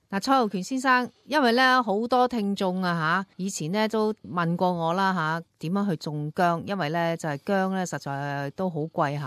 嗱，蔡浩權先生，因為咧好多聽眾以前咧都問過我啦點樣去種薑，因為咧就係薑咧實在都好貴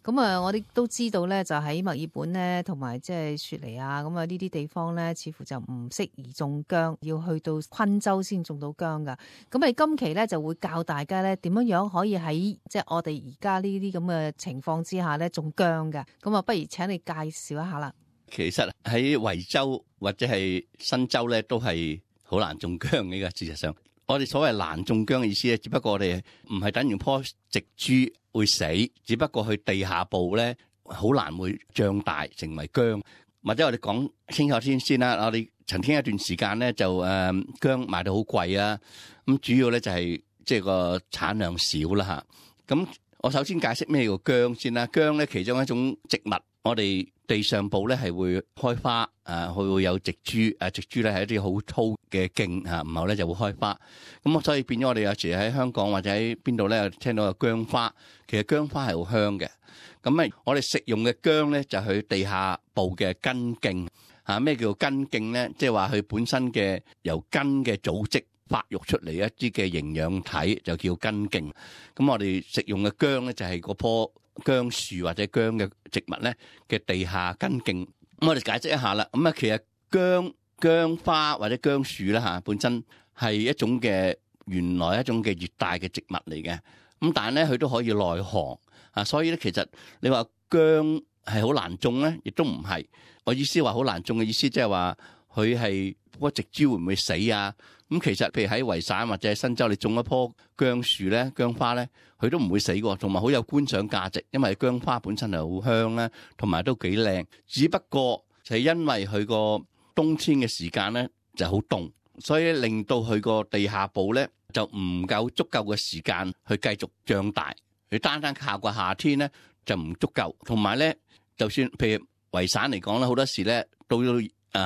咁我哋都知道咧就喺墨爾本咧同埋即係雪梨咁呢啲地方咧似乎就唔適宜種薑，要去到昆州先種到薑噶。咁你今期咧就會教大家咧點樣可以喺即係我哋而家呢啲咁嘅情況之下咧種薑嘅。咁不如請你介紹一下啦。其實喺維州或者係新州咧，都係好難種薑嘅。事實上，我哋所謂難種薑嘅意思咧，只不過我哋唔係等於棵植株會死，只不過佢地下部咧好難會長大成為薑。或者我哋講清楚先啦，我哋曾經一段時間咧就薑賣到好貴啊。咁主要咧就係即係個產量少啦嚇。咁我首先解釋咩叫薑先啦。薑咧其中一種植物，我哋地上部咧係會開花，佢會有植株，植株咧係一啲好粗嘅莖，然後咧就會開花。咁所以變咗我哋有時喺香港或者喺邊度咧聽到有薑花，其實薑花係好香嘅。咁我哋食用嘅薑咧就係佢地下部嘅根莖。咩叫根莖咧？即係話佢本身嘅由根嘅組織發育出嚟一啲嘅營養體就叫根莖。咁我哋食用嘅薑咧就係嗰棵薑樹或者薑嘅植物咧嘅地下根莖。咁我哋解釋一下啦。咁其實薑花或者薑樹啦本身係一種嘅原來一種嘅熱帶嘅植物嚟嘅。咁但係咧佢都可以耐寒所以咧其實你話薑係好難種咧，亦都唔係。我意思話好難種嘅意思，即係話佢係嗰植株會唔會死啊？咁其實譬如喺維省或者喺新州，你種一棵薑樹咧、薑花咧，佢都唔會死嘅，同埋好有觀賞價值，因為薑花本身係好香啦，同埋都幾靚。只不過就係因為佢個冬天嘅時間咧就好凍，所以令到佢個地下部咧就唔夠足夠嘅時間去繼續長大。佢單靠個夏天咧就唔足夠，同埋咧就算譬如維省嚟講咧，好多時咧到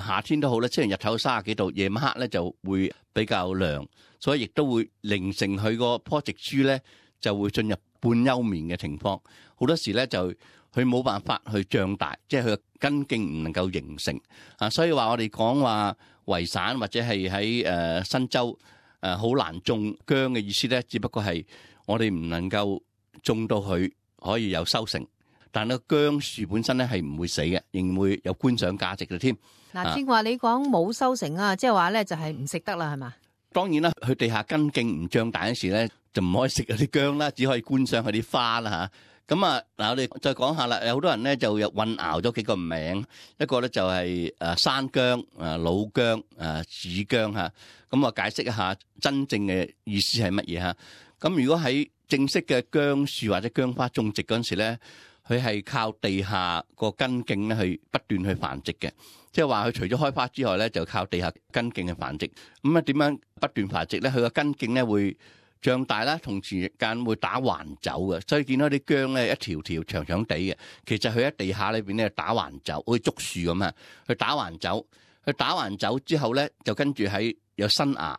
夏天都好咧，雖然日頭30幾度，夜晚黑咧就會比較涼，所以亦都會形成佢個棵植株咧就會進入半休眠嘅情況。好多時咧就佢冇辦法去長大，即係佢嘅根莖唔能夠形成所以話我哋講話維省或者係喺新州好難種薑嘅意思咧，只不過係我哋唔能夠種到佢可以有收成。但係薑樹本身咧係唔會死嘅，仍然會有觀賞價值嘅添。嗱，正話你講冇收成即係話咧就係唔食得啦，係嘛？當然啦，佢地下根莖唔長大嗰時咧，就唔可以食嗰啲薑啦，只可以觀賞佢啲花啦嚇。咁嗱，我哋再講下啦。有好多人咧就有混淆咗幾個名，一個咧就係山薑、老薑、紫薑嚇。咁我解釋一下真正嘅意思係乜嘢嚇。咁如果喺正式嘅薑樹或者薑花種植嗰陣時咧，佢係靠地下個根莖咧去不斷去繁殖嘅，即係話佢除咗開花之外咧，就靠地下根莖去繁殖。咁點樣不斷繁殖咧？佢個根莖咧會長大啦，同時間會打橫走嘅，所以見到啲薑咧一條條長長地嘅，其實佢喺地下裏邊咧打橫走，好似竹樹咁啊。佢打橫走，佢打橫走之後咧，就跟住喺有新芽，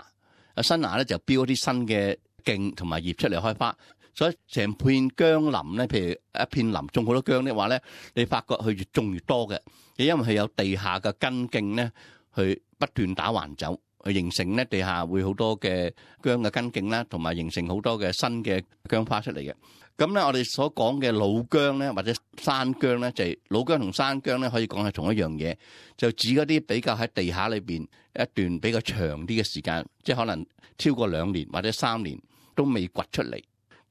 有新芽咧就標啲新嘅莖同埋葉出嚟開花。所以成片薑林咧，譬如一片林種好多薑的話咧，你發覺佢越種越多嘅，因為佢有地下嘅根莖咧，去不斷打橫走，去形成咧地下會好多嘅薑嘅根莖啦，同埋形成好多嘅新嘅薑花出嚟嘅。咁咧，我哋所講嘅老薑咧，或者山薑咧，就係老薑同山薑咧，可以講係同一樣嘢，就指嗰啲比較喺地下裏邊一段比較長啲嘅時間，即係可能超過2年或者3年都未掘出嚟。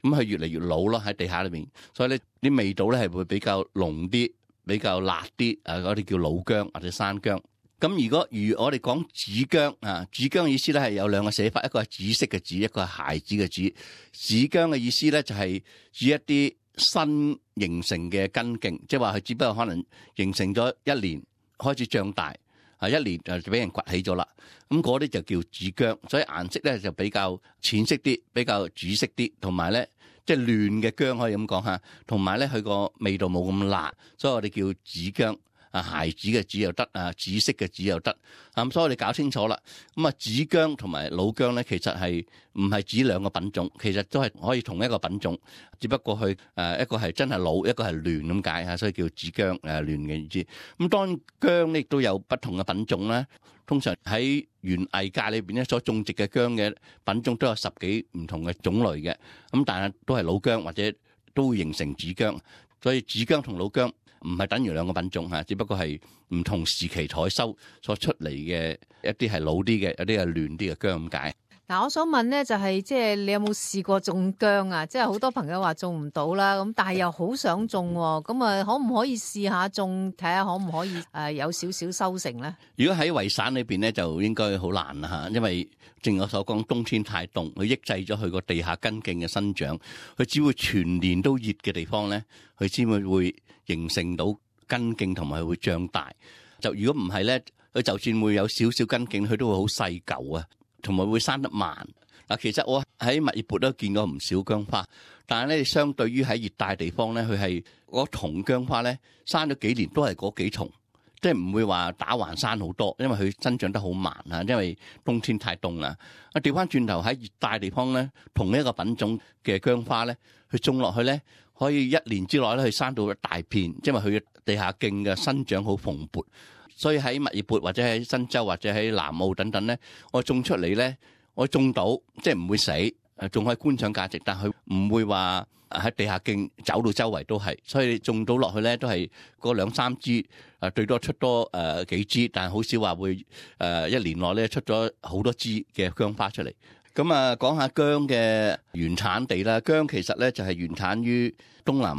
咁佢越嚟越老咯喺地下裏邊，所以咧啲味道咧係會比較濃啲，比較辣啲。嗰啲叫老薑或者山薑。咁如我哋講紫薑紫薑嘅意思咧係有2個寫法，一個係紫色嘅紫，一個係孩子嘅紫。紫薑嘅意思咧就係指一啲新形成嘅根莖，即係話佢只不過可能形成咗1年開始長大，1年就俾人掘起咗啦。咁嗰啲就叫紫薑，所以顏色咧就比較淺色啲，比較紫色啲，同埋咧即係嫩嘅薑可以咁講嚇，同埋咧佢個味道冇咁辣，所以我哋叫紫薑。孩子嘅子又得，紫色嘅紫又得。咁所以我哋搞清楚啦。咁紫薑同埋老薑咧，其實係唔係指兩個品種，其實都係可以同一個品種，只不過佢一個係真係老，一個係嫩咁解嚇，所以叫紫薑嫩嘅意思。咁當然薑咧亦都有不同嘅品種啦。通常喺園藝界裏邊咧，所種植嘅薑嘅品種都有10幾唔同嘅種類嘅。咁但係都係老薑或者都會形成紫薑，所以紫薑同老薑唔係等於兩個品種嚇，只不過係唔同時期採收所出嚟嘅，一啲係老啲嘅，有啲係嫩啲嘅薑咁解。嗱，我想問咧，就係即係你有冇試過種薑啊？即係好多朋友話種唔到啦，咁但係又好想種喎，咁啊可唔可以試下種，睇下可唔可以有少少收成咧？如果喺維省裏邊咧，就應該好難啦嚇，因為正如我所講，冬天太凍，佢抑制咗佢個地下根莖嘅生長，佢只會全年都熱嘅地方咧，佢先會形成到根莖同埋會長大。就如果唔係咧，佢就算會有少少根莖，佢都會好細嚿啊。同埋會生得慢嗱，其實我喺墨爾本都見過唔少薑花，但係咧相對於喺熱帶地方咧，佢係嗰叢薑花咧生咗幾年都係嗰幾叢，即係唔會話打橫生好多，因為佢生長得好慢啊，因為冬天太凍啦。調翻轉頭喺熱帶地方咧，同一個品種嘅薑花咧，佢種落去咧，可以1年之內咧，佢生到一大片，因為佢嘅地下徑嘅生長好蓬勃。所以喺墨爾本或者喺新州或者喺南澳等等咧，我種出嚟咧，我種到即係唔會死，仲可以觀賞價值，但佢唔會話喺地下徑走到周圍都係，所以種到落去咧都係嗰2-3枝，最多出多幾枝，但係好少話會1年內咧出咗好多枝嘅薑花出嚟。咁講下薑嘅原產地啦，薑其實咧就係原產於東南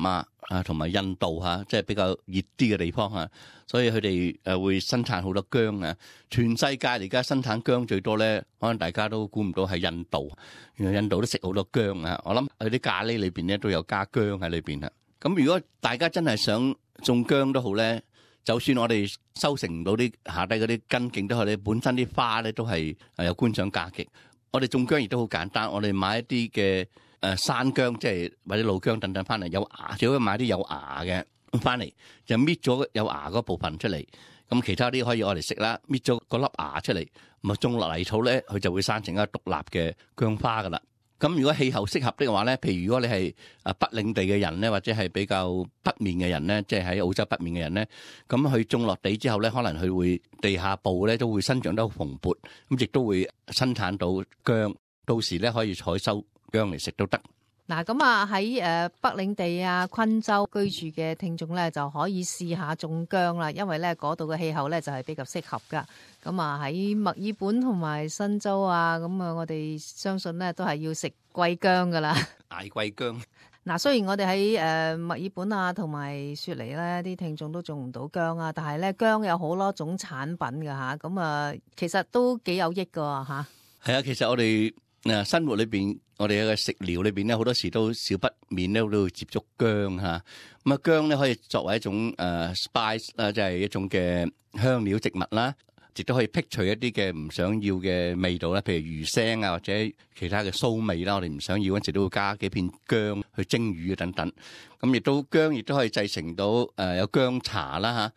亞同埋印度嚇，即係比較熱啲嘅地方嚇，所以佢哋會生產好多薑啊。全世界而家生產薑最多咧，可能大家都估唔到係印度，原來印度都食好多薑啊。我諗佢啲咖喱裏邊咧都有加薑喺裏邊啦。咁如果大家真係想種薑都好咧，就算我哋收成唔到啲下低嗰啲根莖都好咧，本身啲花咧都係有觀賞價值。我哋種薑亦都好簡單，我哋買一啲嘅山薑，即係或者老薑等等翻嚟有芽，最好買啲有芽嘅翻嚟，就搣咗有芽嗰部分出嚟，咁其他啲可以我哋食啦。搣咗嗰粒芽出嚟，咁種落泥土咧，佢就會生成一個獨立嘅薑花噶啦。咁如果氣候適合的話咧，譬如如果你係北領地嘅人咧，或者係比較北面嘅人咧，即係喺澳洲北面嘅人咧，咁佢種落地之後咧，可能佢會地下部咧都會生長得好蓬勃，咁亦都會生產到薑，到時咧可以採收薑嚟食都得。嗱，咁喺北領地昆州居住嘅聽眾咧，就可以試下種薑啦，因為咧嗰度嘅氣候咧就係比較適合噶。咁喺墨爾本同埋新州咁我哋相信咧都係要食貴薑噶啦，大貴薑。嗱，雖然我哋喺墨爾本同埋雪梨咧啲聽眾都種唔到薑但係咧薑有好多種產品噶吓，咁其實都幾有益噶吓。係啊，其實我哋生活裏邊，我哋嘅食療裏邊咧，好多時都少不免咧都會接觸薑吓。咁薑咧可以作為一種spice 啦，即係一種嘅香料植物啦，亦都可以剔除一啲嘅唔想要嘅味道啦，譬如魚腥或者其他嘅臊味啦，我哋唔想要嗰陣時都會加幾片薑去蒸魚等等。咁亦都薑亦都可以製成到有薑茶啦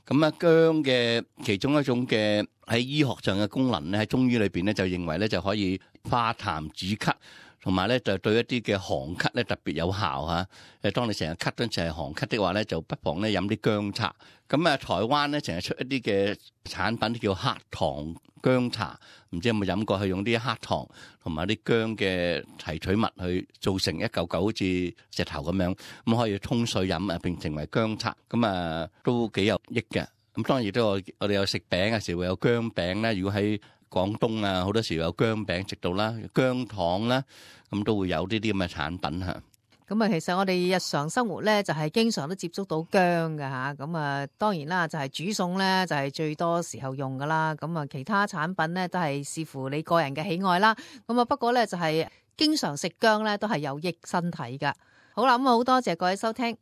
吓。咁薑嘅其中一種嘅喺醫學上嘅功能咧，喺中醫裏邊咧就認為咧就可以化痰止咳，同埋咧就對一啲嘅寒咳咧特別有效嚇。當你成日咳嗰陣係寒咳的話咧，就不妨咧飲啲薑茶。咁台灣咧成日出一啲嘅產品叫黑糖薑茶，唔知有冇飲過？係用啲黑糖同埋啲薑嘅提取物去做成一嚿嚿好似石頭咁樣，咁可以沖水飲並成為薑茶，咁都幾有益嘅。咁當然亦都我哋有食餅嘅時候會有薑餅咧。如果喺廣東好多時有薑餅食到啦，薑糖啦，咁都會有呢啲咁嘅產品嚇。咁其實我哋日常生活咧就係經常都接觸到薑㗎嚇。咁當然啦，就係煮餸咧就係最多時候用㗎啦。咁其他產品咧都係視乎你個人嘅喜愛啦。咁不過咧就係經常食薑咧都係有益身體㗎。好啦，咁好多謝各位收聽。